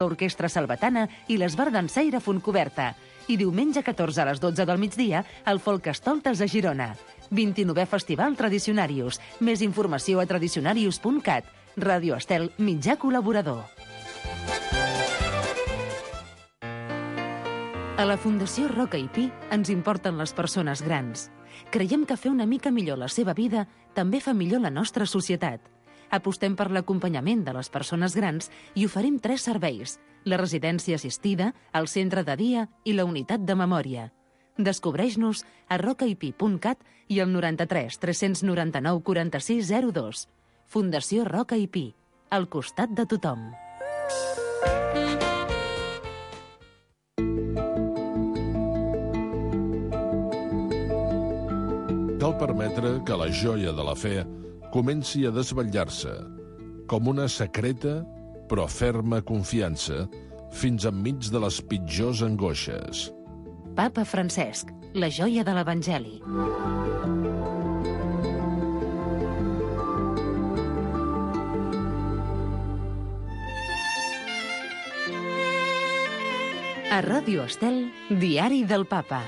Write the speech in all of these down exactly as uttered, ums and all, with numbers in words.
l'Orquestra Salvatana i l'Esbardansaire Fontcoberta. I diumenge catorze a les dotze del migdia, el Folkestoltes a Girona. vint-i-novè Festival Tradicionarius. Més informació a tradicionarius punt cat. Ràdio Estel, mitjà col·laborador. A la Fundació Roca i Pi ens importen les persones grans. Creiem que fer una mica millor la seva vida també fa millor la nostra societat. Apostem per l'acompanyament de les persones grans i oferim tres serveis: la residència assistida, el centre de dia i la unitat de memòria. Descobreix-nos a rocaipi punt cat i al noranta-tres tres noranta-nou quaranta-sis zero dos. Fundació Roca i Pi, al costat de tothom. Cal permetre que la joia de la fe comenci a desvetllar-se, com una secreta però ferma confiança, fins enmig de les pitjors angoixes. Papa Francesc, la joia de l'Evangeli. A Ràdio Estel, Diari del Papa.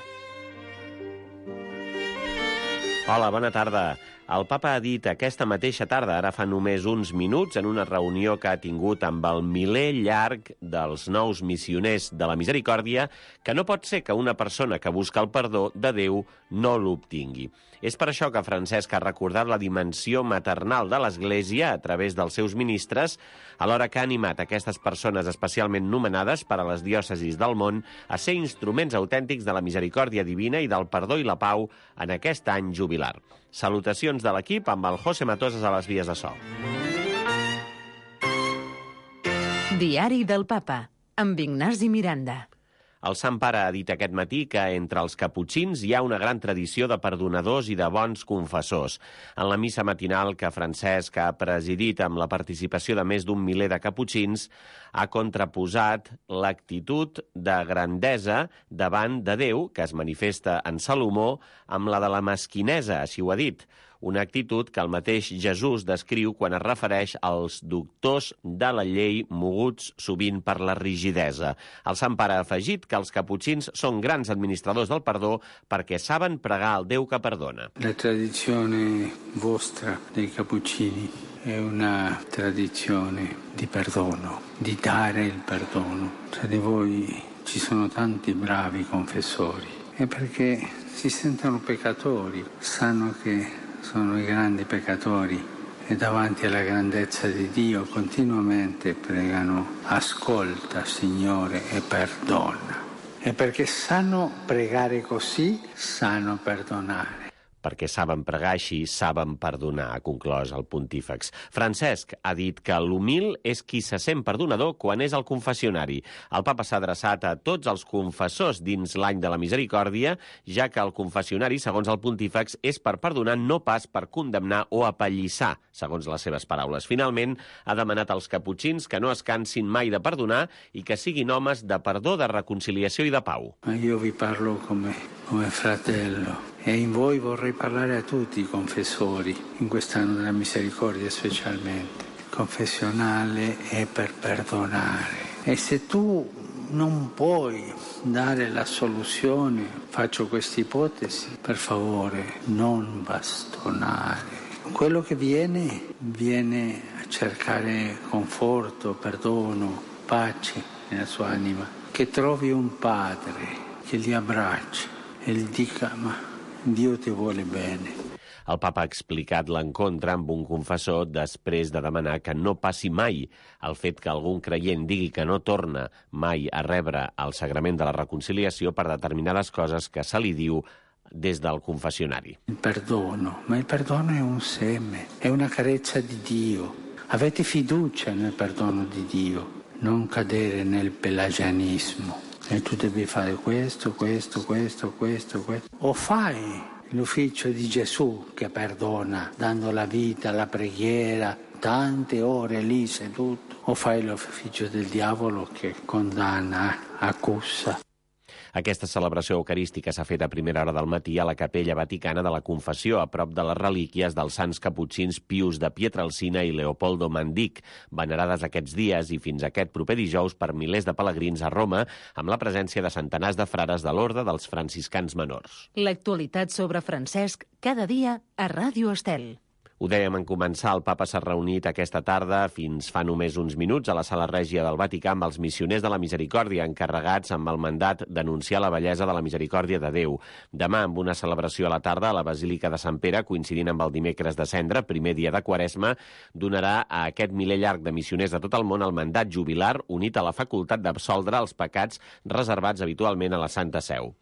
Hola, bona tarda. El papa ha dit aquesta mateixa tarda, ara fa només uns minuts, en una reunió que ha tingut amb el miler llarg dels nous missioners de la misericòrdia, que no pot ser que una persona que busca el perdó de Déu no l'obtingui. És per això que Francesc ha recordat la dimensió maternal de l'Església a través dels seus ministres, alhora que ha animat aquestes persones especialment nomenades per a les diòcesis del món a ser instruments autèntics de la misericòrdia divina i del perdó i la pau en aquest any jubilar. Salutacions de l'equip amb el José Matosas a les vies de so. Diari del Papa, amb Ignasi Miranda. El Sant Pare ha dit aquest matí que entre els caputxins hi ha una gran tradició de perdonadors i de bons confessors. En la missa matinal que Francesc ha presidit amb la participació de més d'un miler de caputxins, ha contraposat l'actitud de grandesa davant de Déu, que es manifesta en Salomó, amb la de la mesquinesa, així ho ha dit. Una actitud que el mateix Jesús descriu quan es refereix als doctors de la llei moguts sovint per la rigidesa. El Sant Pare ha afegit que els caputxins són grans administradors del perdó perquè saben pregar al Déu que perdona. La tradizione vostra dei cappuccini è una tradizione di perdono, di dare il perdono. Tra di voi ci sono tanti bravi confessori e perché si sentono peccatori, sanno che sono i grandi peccatori e davanti alla grandezza di Dio continuamente pregano: ascolta Signore e perdona. E perché sanno pregare così, sanno perdonare. Perquè saben pregar així, saben perdonar, ha conclòs el pontífex. Francesc ha dit que l'humil és qui se sent perdonador quan és al confessionari. El papa s'ha adreçat a tots els confessors dins l'any de la misericòrdia, ja que el confessionari, segons el pontífex, és per perdonar, no pas per condemnar o apallissar, segons les seves paraules. Finalment, ha demanat als caputxins que no es cansin mai de perdonar i que siguin homes de perdó, de reconciliació i de pau. Io vi parlo come, come fratello. E in voi vorrei parlare a tutti i confessori, in quest'anno della misericordia specialmente. Confessionale è per perdonare. E se tu non puoi dare la soluzione, faccio questa ipotesi, per favore non bastonare. Quello che viene, viene a cercare conforto, perdono, pace nella sua anima. Che trovi un padre che li abbracci e gli dica: ma Dio ti vuole bene. El papa ha explicat l'encontre amb un confessor després de demanar que no passi mai el fet que algun creient digui que no torna mai a rebre el sagrament de la reconciliació per determinades coses que se li diu des del confessionari. Il perdono, ma il perdono è un seme, è una carezza di Dio. Avete fiducia nel perdono di Dio, non cadere nel pelagianismo. E tu devi fare questo, questo, questo, questo, questo. O fai l'ufficio di Gesù che perdona, dando la vita, la preghiera, tante ore lì seduto, o fai l'ufficio del diavolo che condanna, accusa. Aquesta celebració eucarística s'ha fet a primera hora del matí a la Capella Vaticana de la Confessió, a prop de les relíquies dels sants caputxins Pius de Pietrelcina i Leopoldo Mandic, venerades aquests dies i fins aquest proper dijous per milers de pelegrins a Roma, amb la presència de centenars de frares de l'Orde dels franciscans menors. L'actualitat sobre Francesc cada dia a Ràdio Estel. Ho dèiem en començar, el papa s'ha reunit aquesta tarda, fins fa només uns minuts, a la Sala Règia del Vaticà amb els missioners de la Misericòrdia, encarregats amb el mandat d'anunciar la bellesa de la misericòrdia de Déu. Demà, amb una celebració a la tarda a la Basílica de Sant Pere, coincidint amb el dimecres de Cendre, primer dia de Quaresma, donarà a aquest miler llarg de missioners de tot el món el mandat jubilar unit a la facultat d'absoldre els pecats reservats habitualment a la Santa Seu.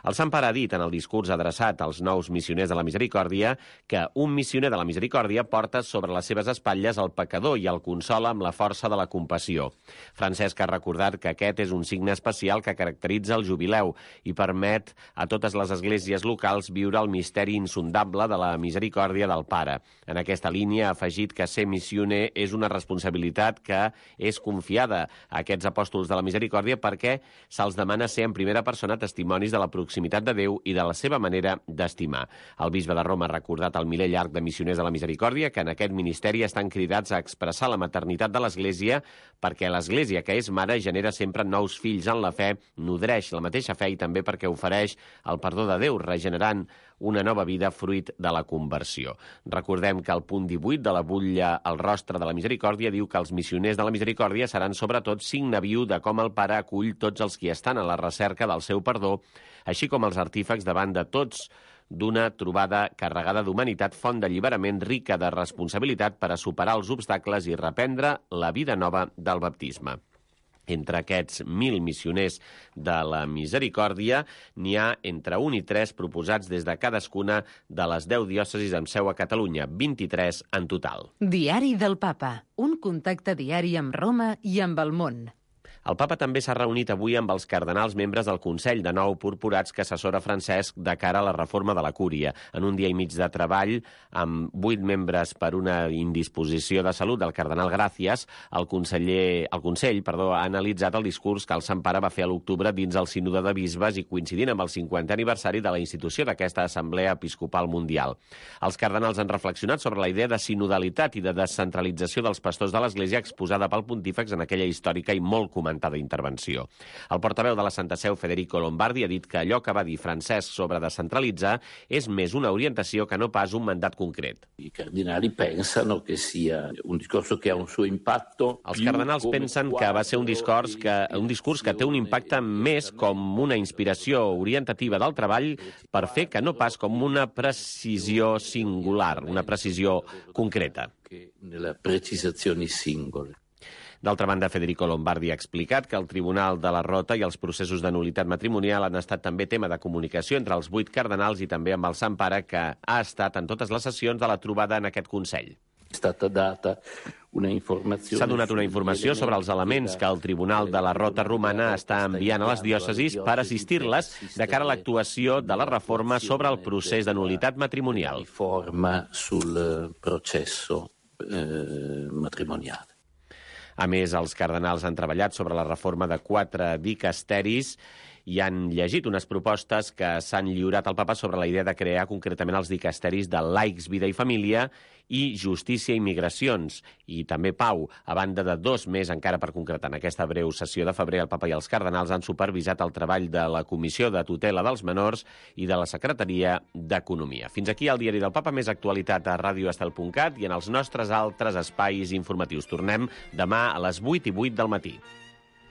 El Sant Pare ha dit en el discurs adreçat als nous missioners de la Misericòrdia que un missioner de la Misericòrdia porta sobre les seves espatlles el pecador i el consola amb la força de la compassió. Francesc ha recordat que aquest és un signe especial que caracteritza el jubileu i permet a totes les esglésies locals viure el misteri insondable de la misericòrdia del Pare. En aquesta línia ha afegit que ser missioner és una responsabilitat que és confiada a aquests apòstols de la Misericòrdia perquè se'ls demana ser en primera persona testimonis de la proximitat de Déu i de la seva manera d'estimar. El bisbe de Roma ha recordat al miler llarg de missioners de la Misericòrdia que en aquest ministeri estan cridats a expressar la maternitat de l'Església perquè l'Església, que és mare, genera sempre nous fills en la fe, nodreix la mateixa fe i també perquè ofereix el perdó de Déu, regenerant una nova vida fruit de la conversió. Recordem que el punt divuit de la butlla al rostre de la Misericòrdia diu que els missioners de la Misericòrdia seran sobretot signe viu de com el Pare acull tots els qui estan a la recerca del seu perdó, així com els artífecs davant de tots d'una trobada carregada d'humanitat, font d'alliberament rica de responsabilitat per a superar els obstacles i reprendre la vida nova del baptisme. Entre aquests mil missioners de la Misericòrdia n'hi ha entre un i tres proposats des de cadascuna de les deu diòcesis amb seu a Catalunya, vint-i-tres en total. Diari del Papa, un contacte diari amb Roma i amb el món. El papa també s'ha reunit avui amb els cardenals membres del Consell de Nou Purpurats que assessora Francesc de cara a la reforma de la Cúria. En un dia i mig de treball, amb vuit membres per una indisposició de salut del cardenal Gràcies, el, conseller, el Consell perdó, ha analitzat el discurs que el Sant Pare va fer a l'octubre dins el Sínode de Bisbes i coincidint amb el cinquantè aniversari de la institució d'aquesta Assemblea Episcopal Mundial. Els cardenals han reflexionat sobre la idea de sinodalitat i de descentralització dels pastors de l'Església exposada pel pontífex en aquella històrica i molt comentada d'intervenció. El portaveu de la Santa Seu, Federico Lombardi, ha dit que allò que va dir Francesc sobre descentralitzar és més una orientació que no pas un mandat concret. I cardinali pensano que sia un discorso que ha un suo impacto. Els cardenals pensen que va ser un discurs que, un discurs que té un impacte més com una inspiració orientativa del treball per fer que no pas com una precisió singular, una precisió concreta. Nella precisazioni singole. D'altra banda, Federico Lombardi ha explicat que el Tribunal de la Rota i els processos de nul·litat matrimonial han estat també tema de comunicació entre els vuit cardenals i també amb el Sant Pare, que ha estat en totes les sessions de la trobada en aquest Consell. S'ha donat una informació sobre els elements que el Tribunal de la Rota Romana està enviant a les diòcesis per assistir-les de cara a l'actuació de la reforma sobre el procés de nul·litat matrimonial. Reforma sul processo eh, matrimoniale. A més, els cardenals han treballat sobre la reforma de quatre dicasteris i han llegit unes propostes que s'han lliurat al papa sobre la idea de crear concretament els dicasteris de laics, vida i família i justícia i migracions, i també pau, a banda de dos més encara per concretar. En aquesta breu sessió de febrer, el papa i els cardenals han supervisat el treball de la Comissió de Tutela dels Menors i de la Secretaria d'Economia. Fins aquí el Diari del Papa, més actualitat a ràdio estel punt cat i en els nostres altres espais informatius. Tornem demà a les vuit i vuit del matí.